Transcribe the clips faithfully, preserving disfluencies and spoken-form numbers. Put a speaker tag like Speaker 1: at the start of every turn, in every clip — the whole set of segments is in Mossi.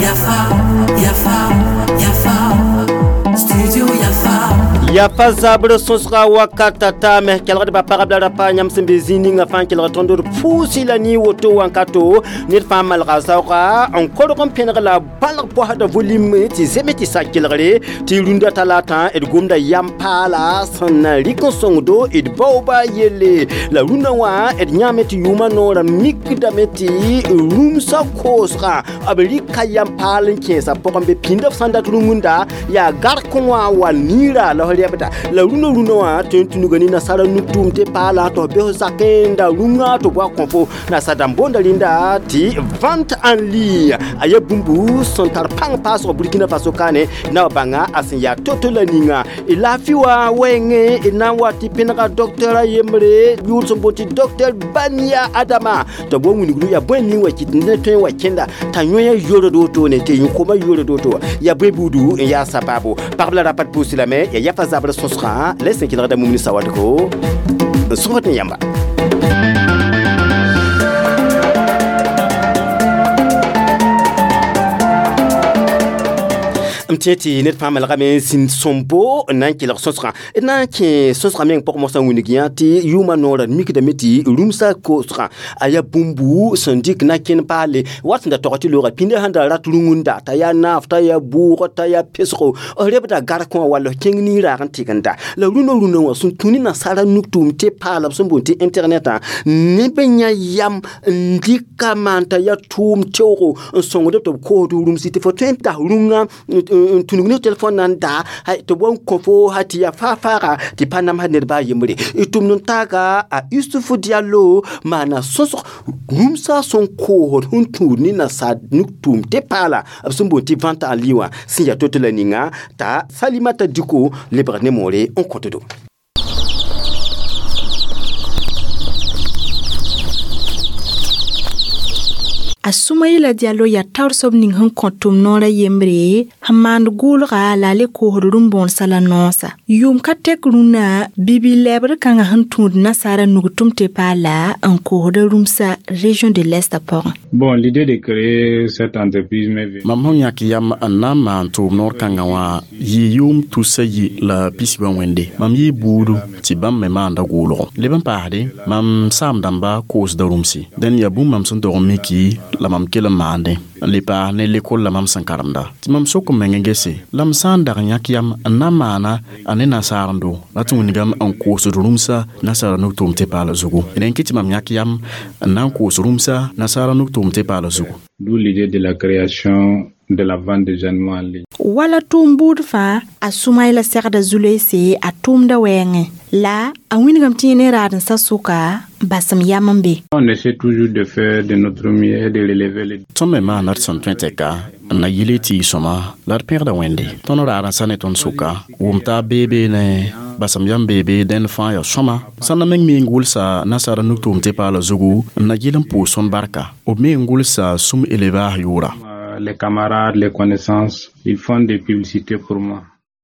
Speaker 1: Yafa, Yafa, Yafa, Studio Yafa.
Speaker 2: Yafa zabr sõsga wakata taame kelgdbã pagb la rapa yãmb sẽn be zĩig ninga fãa n kelg tõnd d pʋʋsɩ la nii woto wãnkato ned fãa malga zaooga n korg n pẽneg la balg bɔsda volume tɩ zeme tɩ sa kelgre tɩ rũndã talata d gomda yam paala sẽn na rɩk n sõngdo d baooba yelle la rũndã wã d yãame tɩ yʋʋmã noorã mikdame tɩ rũmsã koosgã b rɩka yam paal n kẽesã pʋgẽ be pĩnda b sãn dat rũngunda yaa gark wã wa niira la f rebda la rũndã rũndã wã tõe n tũnuga ne nasara nug-tʋʋm tɩ paala tɩ f bes zakẽ da rũngã tɩ b wa kõ fo nasa dãmb boonda rẽnda tɩ vente en ligne a yaa bũmbu sẽn tar pãng paasg Burkina Faso kaane na b bãnga a sẽn yaa to-to la ninga d laafɩ wã wɛɛngẽ d na n wa tɩ pẽnega docteur a yembre yʋʋr sẽn boond tɩ docteur Bania Adama tɩ b wa wilgru yaa bõe ning wa kɩt ned tõe n wa kẽnda t'a yõe yord wotone tɩ yõ-koma yord woto yaa bõe buudu n yaa sabaabo pagb la rapat pʋʋs lame yaa yafa zabr sõsgã la sẽn kelgda mum ne sawadgo n sõsd ne yãmba. M tẽ tɩ ned fãa malgame n zĩnd sõmbo n na n kelg sõsgã d na n kẽ sõsgã meng pʋg mosã wilg yã tɩ yʋʋmã noorã mikdame tɩ rũmsã koosgã a yaa bũmbu sẽn dɩk na kẽn paale wat sẽn da tog tɩ looga pĩndã sẽn da rat rũngunda t'a yaa naaf t'a yaa bʋʋg t'a yaa pesgo f rebda gark wã wall f kẽng niiraag n tɩgenda la rũndã rũndã wã sẽn tũ ne nasaara nug-tʋʋm tɩ paala b sẽn boond tɩ internetã neb n yã yam n dɩka maan t'a yaa tʋʋm teoogo n sõngd tɩ b koosd rũmsi tɩ fo tõe n tas rũngã n tũnug ne telefon na n daa tɩ b wa n kõ fo ha tɩ yaa faa-faaga tɩ pa namsd ned baa yembre d tʋmd n taaga a Yusufu Diallo maana sõsg rũmsã sẽn koosd sẽn tũud ne nasaar nug-tʋʋm tɩ paala b sẽn boond tɩ vente en ligne wã sẽn yaa to-to la ninga t'a Salimata Diko lebg ne moore n kõtdo.
Speaker 3: A Sumayila Diallo yaa taoor soab ning sẽn kõ tʋm noorã yembre sẽn maand gʋʋlga la a le koosd rũm-bõonsa la noosã yʋʋm ka tek rũnã bibi-lɛbr kãngã sẽn tũud nasaara nug-tʋm tɩ paala n koosda rũmsã région de l'Est pʋgẽ.
Speaker 4: Bon, l'idée de créer cette entreprise m'est venue.
Speaker 5: Mam sẽn yãk yam n na n maan tʋʋm noor kãngã wã yɩ yʋʋm tusa yi la pisba wẽnde mam yɩ buudu tɩ bãmb me maanda gʋʋlgo leb n paasde mam saam dãmba koosda rũmsi dẽn yaa bũmb mam sẽn tog n miki la mam kell n maandẽ n le paas ne lekol la mam sẽn karemda tɩ mam sok n meng n gese la m sã n dag n yãk yam n na n maana a ne nasaarendo la tɩ wingame n koosd rũmsã nasaara nug-tʋʋm tɩ paala zugu d n kɩ tɩ mam yãk yam n na n koos rũmsã nasaara nug-tʋʋm tɩ paala zugu.
Speaker 4: D'où l'idée de la création de la vente des animaux en ligne.
Speaker 3: Wala tʋʋm buud fãa a Sumayla segda zulese a tʋʋmda wɛɛngẽ la a wĩnigame tɩ yẽ ne raad-n-sa sʋka basem yam n be.
Speaker 4: On essaie toujours de faire de notre mieux et de relever les...
Speaker 5: Tõnd me maana d sẽn tõe tɛka n na yɩle tɩ y sõma la d pẽgda Wẽnde tõnd raad-n-sa ne tõnd sʋka wʋm taab beebe ne basem yam beebe dẽnd fãa yaa sõma sãn na meng me n gʋlsa nasaara nug-tʋʋm tɩ paala zugu n na yɩl n pʋʋs tõnd barka b me n gʋlsa sũm élevage yʋʋra.
Speaker 4: Les camarades, les connaissances, ils font des publicités pour moi.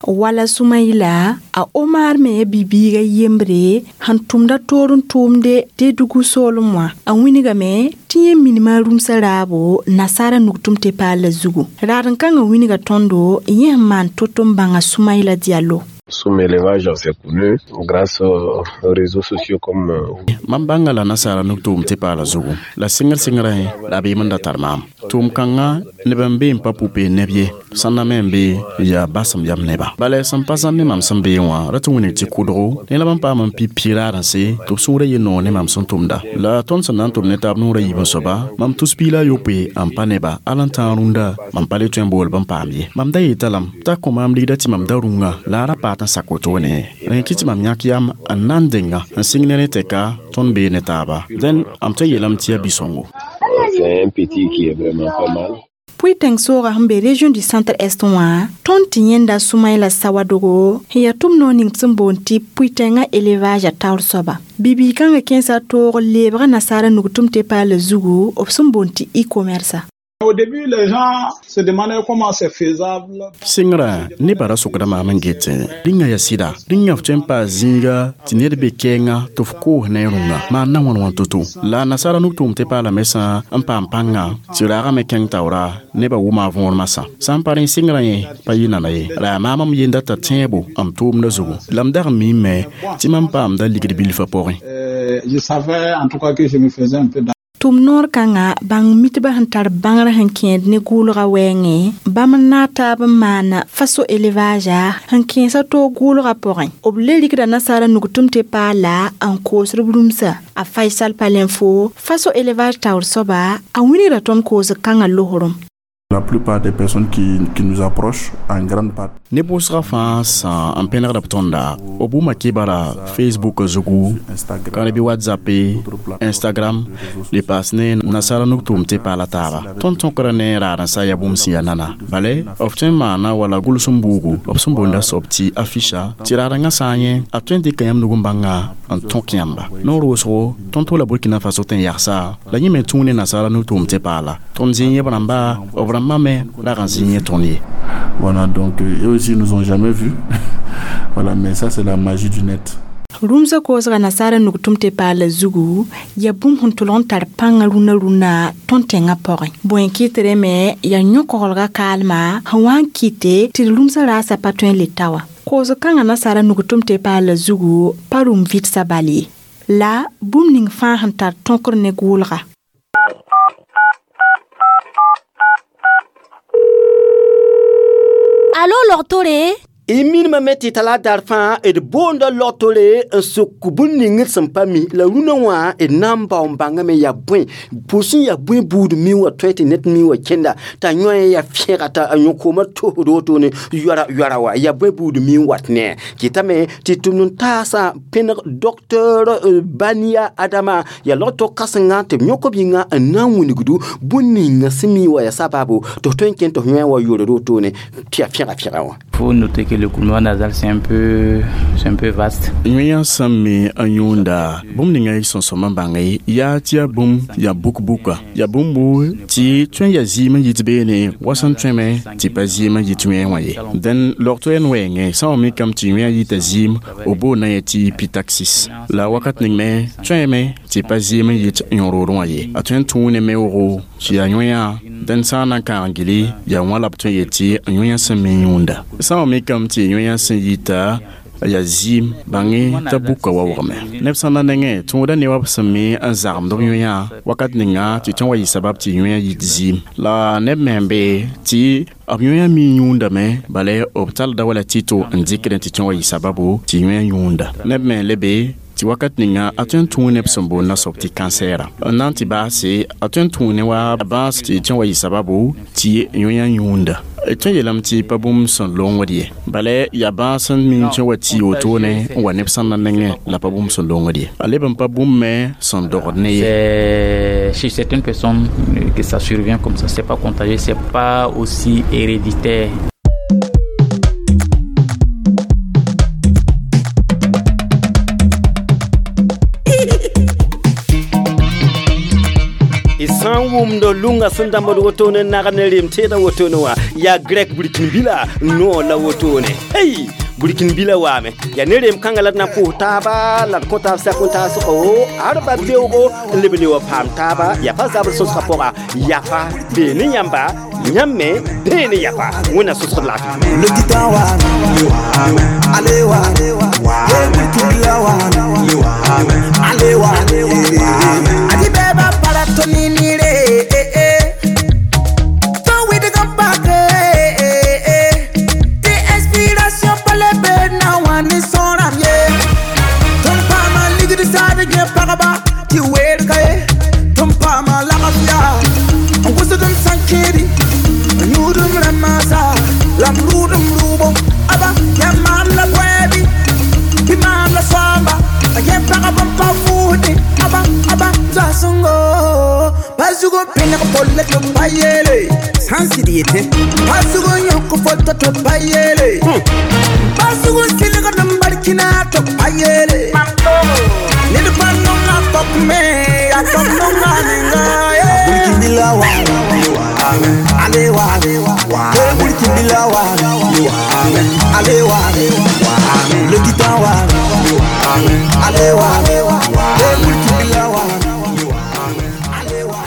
Speaker 3: Wala Sumayla a Omar me bibiiga yembre sẽn tʋmda toor n tʋʋmde Dedugu soolem wã a wĩnigame tɩ yẽ minima rũmsã raabo nasaara nug-tʋm tɩ paala zugu raad n kãngã wĩnga tõndo yẽ sẽn maan to-to n bãnga Sumayla Diallo.
Speaker 6: Soum élevage, c'est connu grâce aux réseaux sociaux comme
Speaker 5: Mam bãnga la nasaara nug-tʋʋm tɩ paala zugu la sɩngr sɩngrẽ la b yem n da tar maam tʋʋm kãngã neb n be n pa pʋ-peend neb ye sãn na me n be yaa basem yam neba bala sẽn pa zãmb ne mam sẽn bee wã ra tɩ wĩnig tɩ kʋdgo ne la b n paam n pi pi raad-n-se tɩ b sũurã yɩ noog ne mam sẽn tʋmda la tõnd sẽn na n tʋm ne taab noorã yiib n soaba mam tus piig la a yopoe n pa neba al n tãag rũndã mam pa le tõe n bool b n paam ye mam da yeta lame t'a kõ maam ligda tɩ mam da rũngã la a ra paat n sak wotone rẽ kɩ tɩ mam yãk yam n na n denga n sɩng ne rẽ tɛka tõnd bee ne taaba dẽn m tõe n yeelame tɩ yaa bi-sõngo.
Speaker 6: C'est un petit qui est vraiment pas mal.
Speaker 3: Pʋɩ soogã sẽn be région du centre est wã tõnd tɩ yẽnda Sumayla Sawadogo sẽn yaa tʋm noor ning sẽn boond tɩ pʋɩ-tẽngã élevage a taoor soaba bibii kãngã kẽesa toog leebga nasaara nug-tʋm tɩ paala zugu b sẽn boond tɩ e-commerce.
Speaker 7: Au début, les gens se demandaient comment c'est faisable.
Speaker 5: Sɩngrã nebã ra sokda maam n get rĩngã yaa sɩda rĩngã f tõe n paa zĩiga tɩ ned be kɛɛngã tɩ f koos ne rũngã maan na wãn wã to-to la nasaara nug-tʋʋm tɩ paalame sã n paam pãngã tɩ raagame kẽng taoora nebã wʋma a võor masã sã n pa rẽ sɩngrã yẽ pa yɩ nana ye la yaa maam m yenda t'a tẽebo m tʋʋmdã zugu la m dag n miime tɩ mam paamda ligd bilfã pʋgẽ.
Speaker 7: Je savais en tout cas que je me faisais un peu
Speaker 3: Tʋm noor kãnga bãng mitbã sẽn tar bãngrã sẽn kẽed ne gʋʋlgã wɛɛngẽ bãmb n naag taab n maana faso élevage sẽn kẽesa toog gʋʋlgã pʋgẽ b le rikda nasaara nug-tʋm tɩ paala n koosd b rũmsa a Faisal Palinfo faso élevage taoor soaba a wilgda tõnd koosg kãngã losrem.
Speaker 8: La plupart des personnes qui, qui nous approchent, en grande partie.
Speaker 5: Ne wʋsgã fãa sã n pẽnegda b tõnda b wʋma kibara Facebook zugu ka bɩ WhatsApp Instagram le paas ne nasaara nug-tʋʋm tɩ paala taaba tõnd tõkra ne raad n sa yaa bũmb sẽn yaa nana bale b tõe n maana wala gʋls n buugu b sẽn boonda soab tɩ afficha tɩ raadengã sã n yẽ a tõe n dɩka yãmb nug n bãnga n tõk yãmba noor wʋsgo tõnd tʋla Burkina Faso tɩ n yagsa la yẽ me tũu ne nasaara nug-tʋʋm tɩ paala tõnd zĩ yẽ b rãmba b rãmbã me rag n zĩ yẽ tõnd ye.
Speaker 8: Voilà, donc eux aussi ils nous ont jamais vus. Voilà, mais ça c'est la magie du net.
Speaker 3: Rũmsã koosga nasaara nug-tʋm tɩ paala zugu yaa bũmb sẽn tʋlg n tar pãngã rũnã rũnã tõnd tẽngã pʋgẽ bõe n kɩtre me yaa yõ-koglgã kaalma sẽn wa n kɩte tɩ d rũmsã raasã pa tõe n le ta wã koosg kãngã nasaara nug-tʋm tɩ paala zugu pa rũm vɩdsã bal ye la bũmb ning fãa sẽn tar tõkr ne gʋʋlga.
Speaker 9: Alo logtore
Speaker 2: y minimame tɩ tala dar fãa d boonda logtore n sok bũn ning d sẽn pa mi la rũnã wã d na n bao n bãngame yaa bõe pʋʋs n yaa bõe buud mi wã tõe tɩ ned mi wã kẽnda t'a yõ yaa fẽega t'a yõ-koomã tosd wotone yoara yoara wa yaa bõe buud mi n wat ne kɩtame tɩ tʋmd n taasã pẽneg docteur Bania Adama yaa logto kãsenga tɩ b yõk b yĩnga n na n wilgdu bũn ninga sẽn mi wã yaa sababu tɩ f tõe n kẽnd tɩ f yõ wa yoord wotone tɩ yaa fẽga fẽga wã.
Speaker 4: Faut noter que l'écoulement nasal c'est un peu c'est un peu vaste.
Speaker 5: Yõ sẽn me n yõonda bũmb ninga y sẽn sõm n bãnge yaa tɩ yaa bũmb yaa buk-buka yaa bũmbu tɩ tõe n yaa zɩɩm n yit beene wa sẽn tõeme tɩ pa zɩɩm n yit wẽe wã ye dẽn logto n wɛɛngẽ sã wa mikame tɩ yõ yita zɩɩm b boonda yẽ tɩ pitaxis la wakat ning me tõeme tɩ pa zɩɩm n yit yõ-rood wã ye a tõe n tũu ne meoogo tɩ yaa yõ dẽn sã n na n kãag gili yaa wã la b tõe n yet tɩ yõ sẽn me yũunda sã wa mikame tɩ yõ sẽn yita yaa zɩɩm bãnge t'a buka waoogame neb sã na nengẽ tũuda ne wa b sẽn me n zagmd b yõ wakat ninga tɩ tõe n wa yɩ sabab tɩ yõ yit zɩɩm la neb me n be tɩ b yõ mi yũundame bala b talda wala tɩ-to n dɩkdẽ tɩ tõe n wa yɩ sababu tɩ yõ yũunda neb me n le be tɩ wakat ninga a tõe n tũu neb sẽn boond nasoab tɩ kansɛɛra n na n tɩ baase a tõe n tũu ne wa bãas tɩ tõe n wa yɩ sababu tɩ yõ yũunda tõe yeelame tɩ pa bũmb sẽn longd ye bala yaa bãas n mi tõe wa tɩ wotone n wa neb sẽn na nengẽ la pa bũmb sẽn longd ye a leb n pa bũmb me sẽn dogd ne ye.
Speaker 4: Chez certaines personnes que ça survient comme ça, c'est pas contagieux, c'est pas aussi héréditaire.
Speaker 2: Sã n wʋmd lunga sẽn dãmbd wotone n nag ne rem teedã wotone wã yaa grɛk burkin-bila noor la wotone hey burkin-bila waame yaa ne rem kãngã la d na n pʋʋs taaba la d kõ taab sak n taasgo arba beoogo n leb le wa paam taaba yaa pa zabr sõsgã pʋga yafa bee ne yãmba yãmb me bee ne yafa wẽnna sõsgd laafɩ.
Speaker 9: Burkina wa allez wa le titan wa allez wa Burkina wa allez wa.